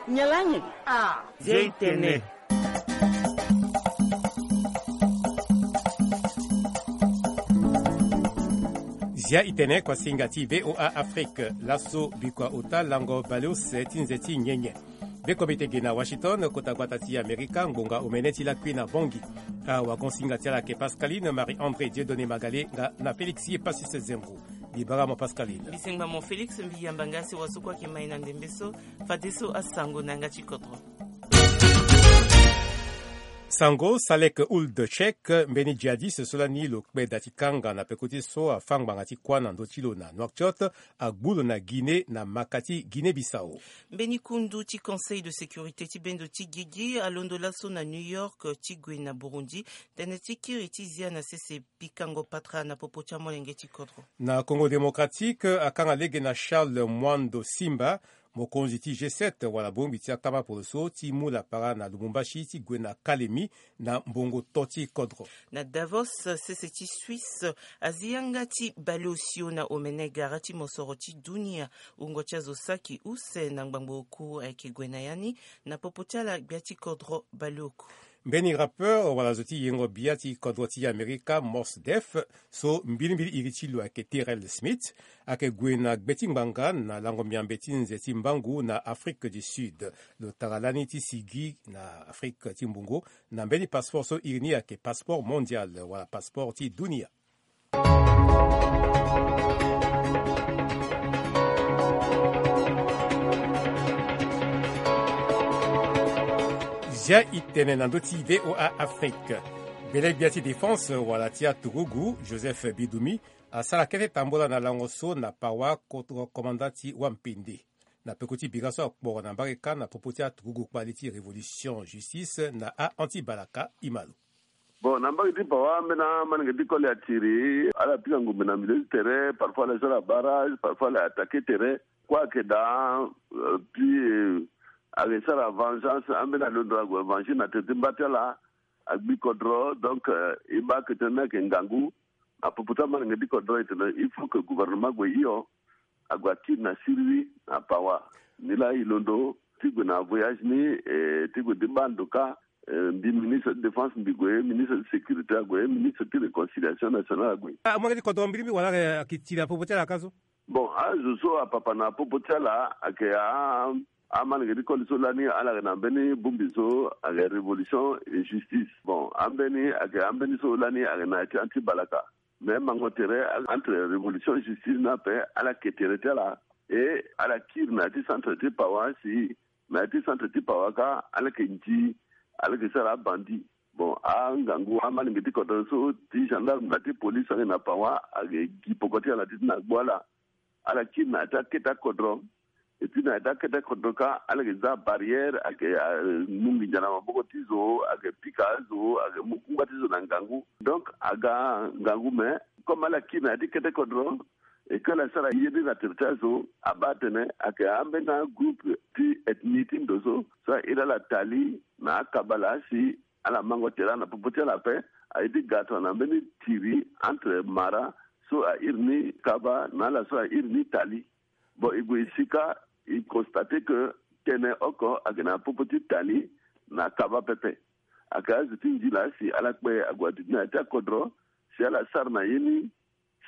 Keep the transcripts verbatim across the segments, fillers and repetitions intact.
Nyalange. Ah. Zia itene. Zia itene, kuasinga ti VOA Afrique. Laso bikua ota lango baleuse ti nze ti nyenye. Be komite ge na Washington, kota gbata ti Amerika, ngbonga omene ti lakui na Bangui. Awagon singa ti ala ayeke Pascaline Marie André, Dieudonné Magalé nga na Félix ye Passis Zembo. Mbi bara mo Pascaline. Mbi sengba mo Félix, mbi yamba nga si wa so kue ayeke mai na ndembe so. Fadeso asango na yanga ti kodro. Sango Salek Ould Cheikh, mbeni djihadiste so lani lo kpe da ti kanga na peko ti so afâ ngbanga ti kuâ na ndö ti lo na Nouakchott, agbu lo na Guinée na maka ti Guinée-Bissau. Mbeni kundu ti Conseil de sécurité ti bendo ti gigi alondo laso na New York ti gue na Burundi, tënë ti kiri ti zia na sese pikango patara na popo ti amolenge ti kodro. Na Congo Démocratique, akanga lege na Charles Mwando Simba, mokonzi ti G sept wala bongbi ti akama poroso ti mu lapara na Lubumbashi ti gue na Kalemi na mbongo to ti kodro. Na Davos, sese ti Suisse, azi yanga ti baleosio na omene gara ti mosoro ti dunia. Wungo ti azo saki use na ngbangbo oku ayeke gue na ya ni na popo ti ala gbia ti kodro baleoku. Mbeni rappeur wala zo ti yengo bia ti kodro ti Amerika, Mos Def, so mbilimbili iri ti lo ayeke Terrell Smith, ayeke gue na gbe ti ngbanga na lango miambe ti nze ti mbangu na Afrique du Sud. Lo tara lani ti sigi na Afrique ti mbungo na mbeni passeport so iri ni ayeke passeport mondial wala passeport ti dunia. Zia itene na ndö ti VOA Afrique. Bele gbia ti défense wala ti aturugu, Joseph Bidumi, asara kete tambola na lango so na pawa kodro komanda ti wampende. Na peko ti bira so akporo na mbage kâ na popo ti aturugu kpali ti Révolution Justice na a-anti-balaka, e ma lo. Bon, na mbage ti pawa, ambeni amalenge ti koli atiri, ala pika ngombe na milieu ti tere, parfois ala sara barrage, parfois ala attaquer tere. Kue ayeke daa, euh, puis, euh, ayeke sara vengeance, ambeni alondo ague venger na tere ti mba ti ala, agbi kodro. Donc, euh, e baa ake tënë ni ayeke ngangu na popo ti amalenge ti kodro, e tene il faut que gouvernement ague hio, ague akiri na siriri na pawa. Nilaa e londo ti gue na voyage ni, eh, ti gue ti baa ndo kâ, eh, mbi ministre ti défense mbi gue, ministre ti sécurité ague, ministre ti réconciliation nationale ague. Amalenge ti kodro mbirimbiri wala ayeke tiri na popo ti ala kâ so? Bon, azo so apapa na popo ti ala ayeke a, amalenge ti koli so lani ala yeke na mbeni bongbi so ayeke Révolution et Justice. Bon, ambeni ayeke ambeni so lani ayeke na ya ti anti-balaka. Mais mango tere entre Révolution et Justice ni ape, ala ke tere ti ala. E ala kiri na ya ti centre ti pawa si na ya ti centre ti pawa kâ, ala yeke nzi, ala yeke sara abandi. Bon, angangu amalenge ti kodro so ti gendarme na ti police ayeke na pawa, ayeke gi poko ti ala ti tene agbu ala. Ala kiri na ya ti akete akodro. Et puis na ya ti akete akodro kâ, ala yeke za barrière, ayeke, ah, mu nginza na maboko ti zo, ayeke pika azo, ayeke mu kungba ti zo na ngangu. Donc aga ngangu, mais comme ala kiri na ya ti kete kodro, e ke ala sara ye ni na tere ti azo, abaa atene ayeke ambeni agroupe ti ethnie ti ndo so, so a iri ala tali na akabala si ala mango tere na popo ti ala ape. Aye ti ga tongana mbeni tiri entre Mara so a iri ni Kaba na ala so a iri ni Tali. Bon, e gue e si kâ, e constate que tënë oko ayeke na popo ti Tali na Kaba pepe. Ayeke azo ti nzila si ala kpe ague aduti na ya ti akodro, si ala sara na ye ni,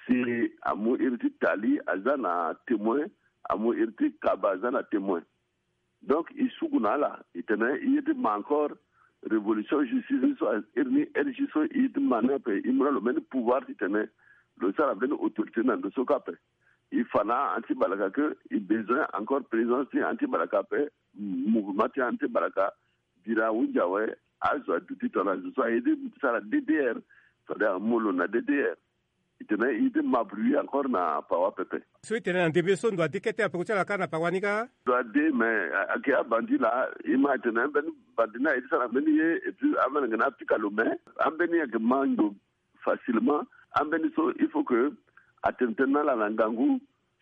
si amu iri ti Tali aza na témoin, amu iri ti Kaba aza na témoin. Donc e suku na ala, e tene e ye ti ma encore Révolution Justice ni so a iri ni R J so, e ye ti ma ni ape, e mu na lo mbeni pouvoir ti tene lo sara mbeni autorité na ndo so kâ ape. E fa na anti-balaka que e besoin encore présence ti anti-balaka ape, mouvement ti anti-balaka, bira ahunzi awe, azo aduti tongana zo so aye ti sara D D R, c'est-à-dire amu lo na D D R. E tene e ye ti ma bruit encore na pawa pepe. So e tene na ndembe so ndo ade kete na peko ti ala kâ na pawa ni kâ? Ndo ade, mais a, ayeke abandi laa, e ma e tene ambeni bandi ni aye ti sara mbeni ye, et puis amelenge ni apika lo, mais ambeni ayeke ma ndo facilement. Ambeni so il faut que atene tënë na ala na ngangu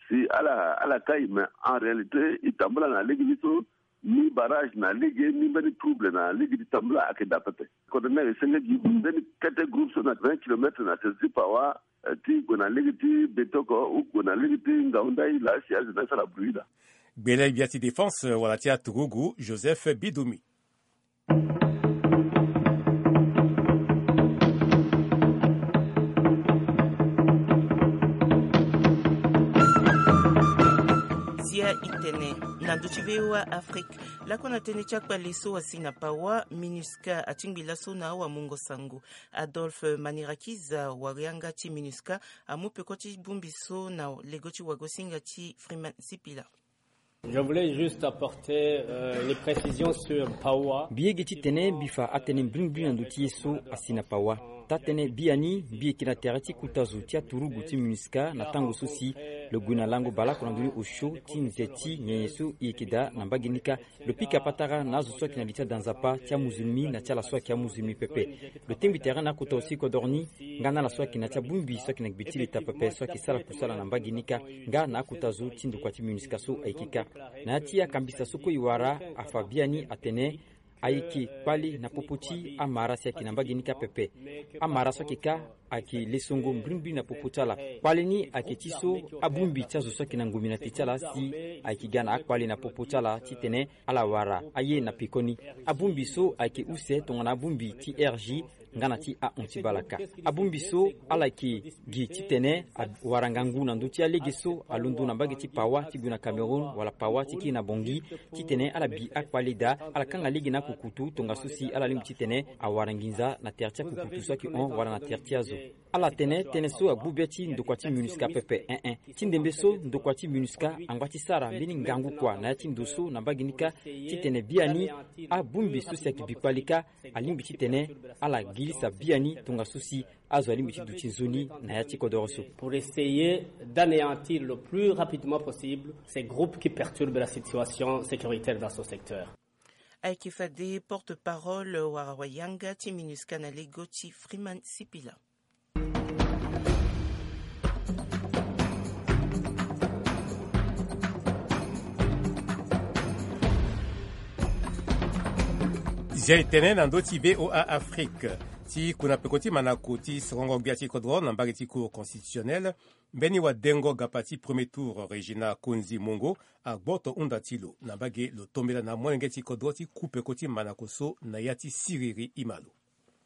si ala, ala kai, mais en réalité e tambula na lege ni so ni barrage na lege, ni mbeni trouble na lege ti tambula ayeke daa pepe. Kodro ni ayeke senge gi mbeni kete groupe so na vingt kilomètres na tere ti pawa, eh, ti gue na lege ti Betoko ou gue na lege ti Ngaoundai laa si azo ni asara bruit laa. Gbele gbia ti défense wala ti aturugu Joseph Bidumi. Zia i tene na ndö ti V O A Afrique. Lakue na tënë ti akpale so asi na pawa, MINUSCA atingbi laso na awamungo sango. Adolphe Manirakiza, warianga ti MINUSCA, amu peko ti bongbi so na lego ti wagosinga ti Freeman Sipila. Je voulais juste apporter, euh, les précisions sur pawa. Mbi yege titene mbi fa atënë mbrimbri na ndö ti ye so asi na pawa. Taa-tënë biani mbi yeke na tere ti kota zo ti aturugu ti MINUSCA na tango so si lo gue na lango baleoko na ndö ni osio ti nze ti nyenye so e yeke daa na mbage ni kâ. Lo pika patara na azo so ayeke na li ti ada nzapa ti amuzulmi na ti ala so ayeke amuzulmi pepe. Lo tengbi tere na akota zo ti kodoro ni nga na ala so ayeke na ya ti abongbi so ayeke na gbe ti leta pepe so ayeke sara kusala na mbage ni kâ, nga na akota zo ti ndokua ti MINUSCA so ayeke kâ. Na ya ti akambisa so kue e wara, afa biani atene ayeke kpale na popo ti amara si ayeke na mbage ni kâ pepe. Amara so ayeke kâ ayeke lesongo mbrimbri na popo ti ala. Kpale ni ayeke ti so abongbi ti azo so ayeke na ngomina te ti ala si ayeke ga na akpale na popo ti ala titene ala wara aye na pekoni. Abongbi so ayeke use tongana abongbi ti R G nga na ti ahon ti bale kâ. Abongbi so ala yeke gi titene awara ngangu na ndö ti alege so alondo na mbage ti pawa ti gue na Cameroun wala pawa ti kiri na Bangui, titene ala bi akpale daa, ala kanga lege na akukutu tongaso si ala lingbi titene awara nginza na tere ti akukutu so ayeke hon wala na tere ti azo. Ala tene tënë so agbu be ti ndokua ti MINUSCA pepe, eh eh. Ti ndembe so ndokua ti MINUSCA angba ti sara mbeni ngangu kua na ya ti ndo so na mbage ni kâ, titene biani abongbi so si ayeke bi kpale kâ alingbi titene ala girisa biani tongaso si azo alingbi ti duti nzoni na ya ti kodoro so. Pour essayer d'anéantir le plus rapidement possible ces groupes qui perturbent la situation sécuritaire dans ce secteur. Ayeke fade porte-parole wala wayanga ti MINUSCA na lego ti Freeman Sipila. Zia e tene na ndö ti V O A Afrique. Ti kuna peko ti manako ti sorongo gbia ti kodro na mbage ti Cour constitutionnelle, mbeni wadengo gapa ti premier tour Régina Konzi Mongo agboto hunda ti lo na mbage lo tombela na molenge ti kodro ti ku peko ti manako so na ya ti siriri. Ima lo.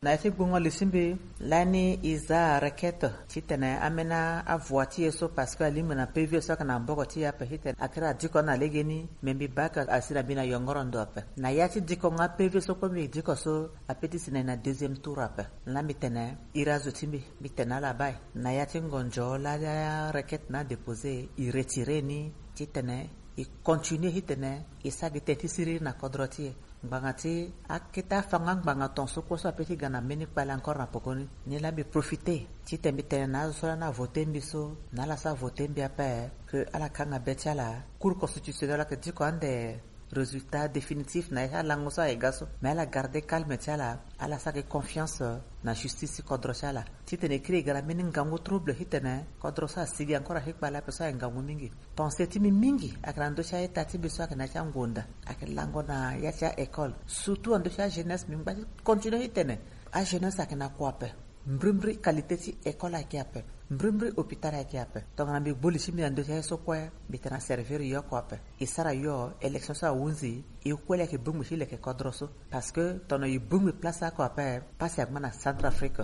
Na ya ti gbungo li ti mbi, lani e za requête titene ambeni avua ti e so, parce que alingbi na P V so ayeke na maboko ti e ape titene akiri adiko na legeni, me mbi baa ake asi na mbi na yongoro ndo ape. Na ya ti dikongo a P V so kue mbi diko so, ape ti si na e na deuxième tour ape. Lani mbi tene iri azo ti mbi, mbi tene ala baa e. Na ya ti ngonzo lani arequête na adéposé, e retiré ni titene e continué titene e sara gi tënë ti siriri na kodro ti e. Ngbanga ti akete afanga ngbanga ton so kue so ape ti ga na mbeni kpale encore na pekoni. Ni laa mbi profité titene mbi tene na azo so lani avoté mbi so, na ala so avoté mbi ape, que ala kanga be ti ala. Cour constitutionnelle ayeke diko ande résultat définitif na ya ti alango so ayeke ga so, mais ala garder calme ti ala, ala sara gi confiance na justice ti kodro ti ala. Titene e kiri e ga na mbeni ngangu trouble titene kodro so asigi encore ahi kpale ape so ayeke ngangu mingi. Pensée ti mbi mingi ayeke na ndö ti a-ita ti mbi so ayeke na ya ti angonda, ayeke lango na ya ti a-école. Surtout na ndö ti ajeunesse, mbi ngba ti continué titene ajeunesse ayeke na kua ape. Mbrimbri qualité ti école ayeke ape. Mbrimbri hôpital ayeke ape. Tongana mbi gbu li ti mbi na ndö ti aye so kue, mbi tene aservir yo oko ape. E sara yo élection so ahunzi, e kue laa ayeke bongbi ti leke kodro so. Parce que tongana e bongbi place oko ape, pasi angba na Centrafrique.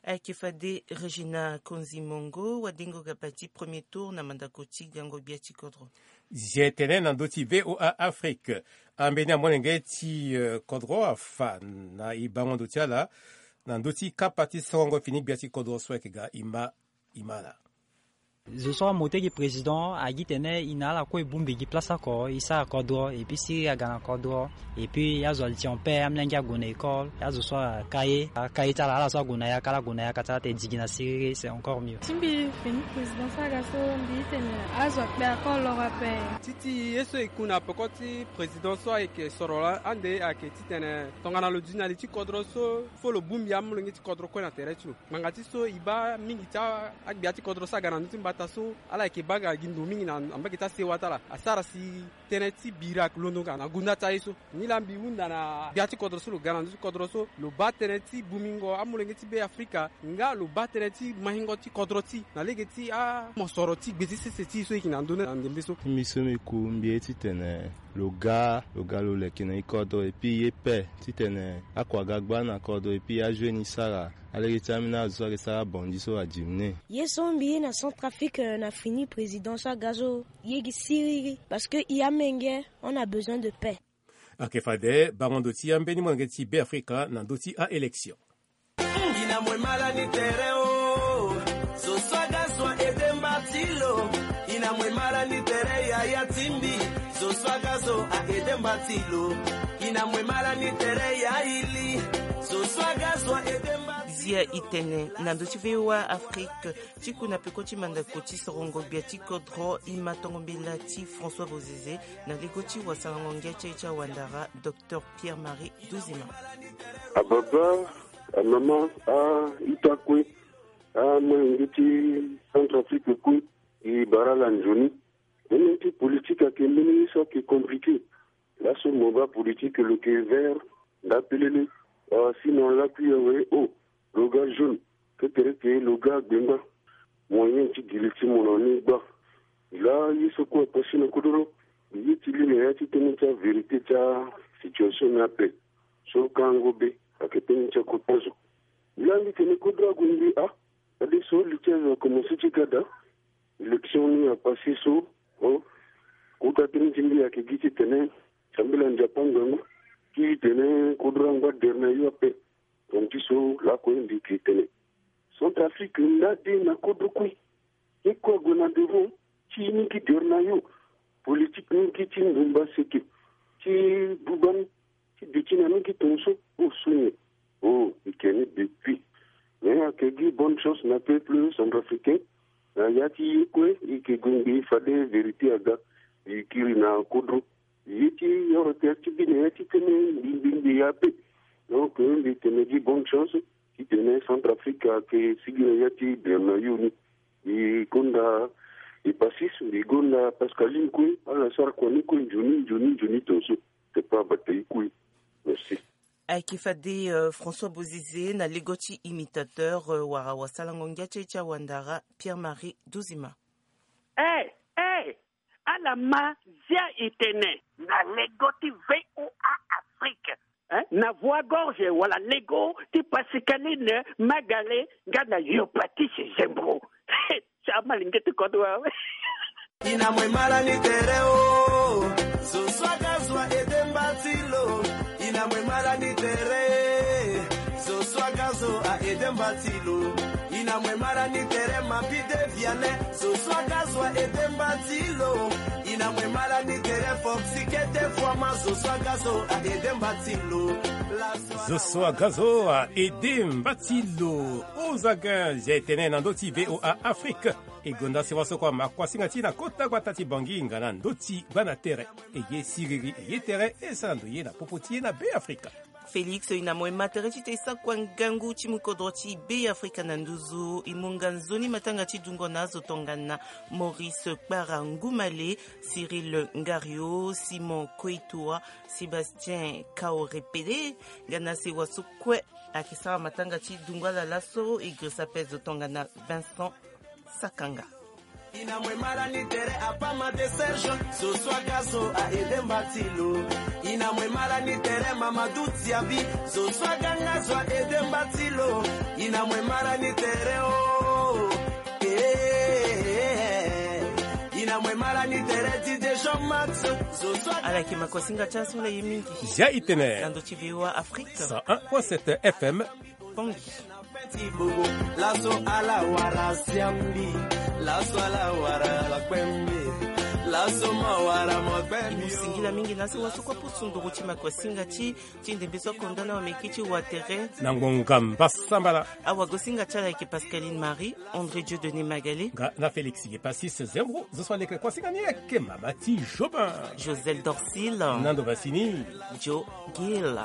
Ayeke fade Régina Konzi Mongo, wadengo gapa ti premier tour na mandako ti gango gbia ti kodro. Zia e tene na ndö ti V O A Afrique. Ambeni amolenge ti, eh, kodro afa na e bango ndo ti ala na ndö ti kapa ti sorongo fini gbia ti kodro so ayeke ga ima, ima ala. Zo so amote gi président agi tene e na ala kue e bongbi gi place oko, e sara kodro, et puis siriri aga na kodro, et puis azo ali ti en paix, amolenge ague na école, azo so aka ye, aka ye ti ala, ala so ague na yaka, ala gue na yaka ti ala, tene digi na siriri, c'est encore mieux. Ti mbi fini président so aga so, mbi tene azo akpe akolo ape. Ti ti ye so e ku na peko ti président so ayeke soro laa ande ayeke titene tongana lo duti na li ti kodro so, fo lo bongbi amolenge ti kodro kue na tere ti lo. Ngbanga ti so e baa mingi ti a-, agbia ti kodro so aga na ndö ti Ata so ala yeke baa gi ndo mingi na mbage ti asewa ti ala asara si tënë ti bira ayeke londo nga na gonda ti aye so. Nilaa mbi hunda na gbia ti kodro so lo ga na ndö ti kodro so lo baa tënë ti bungbingo amolenge ti Be Afrika nga lo baa tënë ti maingo ti kodro ti na lege ti amosoro ti gbe ti sese ti e so e yeke na ndö ni na ndembe so. Mbi so mbi ku mbi ye titene lo ga lo ga lo leke na e kodro epui ye pe titene akua ga gba na kodro epui ajoue ni sara alege ti ambeni azo so ayeke sara abandi so adimine. Ye so mbi ye na Centrafrique na fini président so aga so ye gi siriri parce que e amenge on a besoin de paix. Ayeke fade bango ndo ti ambeni molenge ti Be Afrika na ndö ti aélection. Ina mwe mala ni tere o. Zo swaga zo a ede mba ti lo. Ina mwe mala ni tere yaya timbi. Zo swaga zo a ede mba ti lo. Ina mwe mala ni tere ya ili. Zo swaga zo a ede mba ti lo. Zia itene na ndö ti V O A Afrique ti ku na peko ti mandako ti sorongo gbia ti kodro e ma tongo mbela ti François Bozizé na lego ti wasalango ngia ti aye ti awandara Docteur Pierre-Marie Duzima. Ababa, amama, a-ita kue, amolenge ti Centrafrique kue, e bara ala nzoni. Tënë ti politique ayeke mbeni ye so ayeke compliqué. Laso mo baa politique lo yeke vert, nda pelele, a, sinon lakui awe, o, lo ga jaune, kekereke lo ga gbenga. Moyen ti gi li ti mo na ni gba. Laa ye so kue apasi na kodro lo, mbi ye ti li na ya ti tënë ti avérité ti asituation ni ape. So kango be ayeke tënë ti akota zo. Laa mbi tene kodro ague mbi a, fadeso li ti azo akomanse ti ga daa. Élection ni apasi so, o, kota tënë ti mbi ayeke gi titene sambela Nzapa ngangu ti tene kodro angba dere na yo ape. Tongaso lakue mbi yeke tene Centrafrique nda de na kodro kue. Ye kue ague na devant ti ni gi dere na yo. Politique ni gi ti ndumba seke ti buba ni ti duti na ni gi tongaso. O so nyen? O, e yeke ni depuis. Mais ayeke gi bonne chance na peuple centrafricain. Na ya ti ye kue e yeke gue ngbii fade vérité aga. E kiri na kodro. Ye ti oro tere ti gi na ya ti tënë mbi mbi mbi ya ape. Donc mbi tene gi bonne chance titene Centrafrique ayeke sigi na ya ti dere na yo ni. E gonda e Passis, mbi gonda Pascaline kue, ala sara kua ni kue nzoni nzoni nzoni tongaso. Te pa bata e kue. Merci. Ayeke fade, euh, François Bozizé na lego ti imitateur, euh, wara wasalango ngia ti aye ti awandara Pierre-Marie Duzima. Eh, eh, ala ma zia e tene na lego ti V O A Afrique, hein? Na voix gorge wala lego ti Pascaline Magale nga na Yopatis Zembro. Ti amalenge ti kodro awe. Ina mwe mala ni tere o. Zo swaga zo a ede mba ti lo. Ina mwe mala ni tere. Zo swaga zo a ede mba ti lo. Ina mwe mala ni tere mabi de viale. Zo swaga zo a ede mba ti lo. Ina mwe mala ni tere foxi kete fwama. Zo swaga zo a ede mba ti lo. Zo swaga zo a ede mba ti lo. Ozaga zia e tene na ndö ti V O A Afrique. E gonda sewa so kua makuasinga ti e na kota gbata ti Bangui nga na ndö ti gbana tere. E ye siriri, e ye tere, e sara ndo ye na popo ti e na Be Afrika. Félix, ina mo e ma tere ti te e sakua ngangu ti mu kodro ti Be Afrika na nduzu. E mu nga nzoni matanga ti dungo na azo tongana Maurice Kpara Ngumale, Cyril Ngario, Simon Koitoa, Sébastien Kaorepele, nga na sewa so kue ayeke sara matanga ti dungo ala laso. E girisa ape zo tongana Vincent Sakanga. Ina mwe mala ni tere apama de Serge, zo swaga zo a ede mba ti lo. Ina mwe mala ni tere Mamadou Tiabi, zo swaga nga zo a ede mba ti lo. Ina mwe mala ni tere o. Eh, ina mwe mala ni tere D J Jean Max, zo swaga. Ala yeke makuasinga ti aso la ye mingi. Zia e tene. Na ndö ti V O A Afrique. Cent un point sept F M. Bangui. Laso ala wara siambi. Laso ala wara lakpembe. Laso ma wara makpembe. E mu singila mingi na asewa so kue apusu nduru ti makuasinga ti, ti ndembe so akonda na wameki ti watere. Na ngonga mbasambala. Awagosinga ti ala yeke Pascaline Marie, André Dieudonné Magalé. Nga na Félix Yepassis Zembro, zo so aleke kuasinga ni ayeke mama ti Jobin. Joselle Dorcil. Nando Bassini. Joe Gill.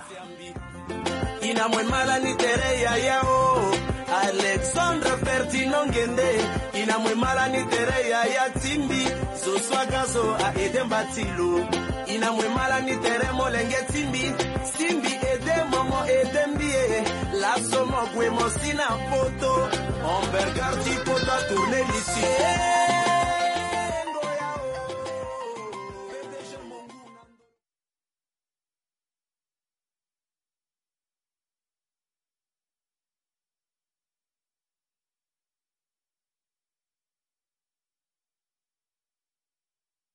Ina mwe mala ni tere yaya o. Alexandre Ferdinand Ngende, ina mwe malani tere yaya timbi, zo swaga zo a ede mbatilo. Ina mwe malani tere molenge timbi, simbi ede momo ede mbie, laso mo gwe mo si na poto, on bergar ti poto a tourne lisi.